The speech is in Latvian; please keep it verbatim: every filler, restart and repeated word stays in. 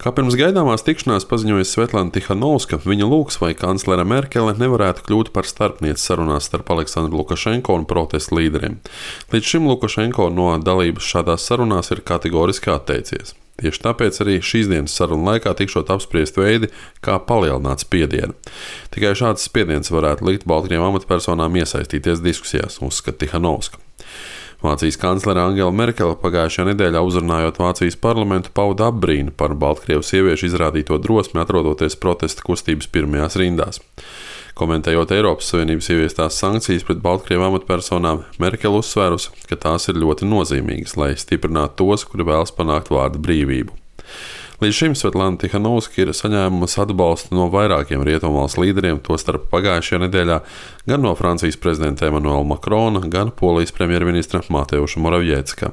Kā pirms gaidāmās tikšanās paziņoja Svetlana Tihanovska, viņa lūgs, vai kanclere Merkele nevarētu kļūt par starpnieci sarunās starp Aleksandru Lukašenko un protestu līderiem. Līdz šim Lukašenko no dalības šādās sarunās ir kategoriski atteicies. Tieši tāpēc arī šīs dienas sarunu laikā tikšot apspriest veidi, kā palielināt spiedienu. Tikai šāds spiediens varētu likt Baltkrievu amatpersonām iesaistīties diskusijās, uzskata Tihanovska. Vācijas kanclere Angela Merkele pagājušajā nedēļā uzrunājot Vācijas parlamentu pauda apbrīnu par Baltkrievu sieviešu izrādīto drosmi atrodoties protesta kustības pirmajās rindās. Komentējot Eiropas Savienības ieviestās sankcijas pret Baltkrievu amatpersonām, Merkele uzsvērusi, ka tās ir ļoti nozīmīgas, lai stiprinātu tos, kuri vēlas panākt vārda brīvību. Līdz šim Svetlana Tihanovska ir saņēmusi atbalstu no vairākiem rietumvalstu līderiem, tostarp pagājušajā nedēļā gan no Francijas prezidenta Emmanuela Macrona, gan Polijas premjerministra Mateuša Moraviecka.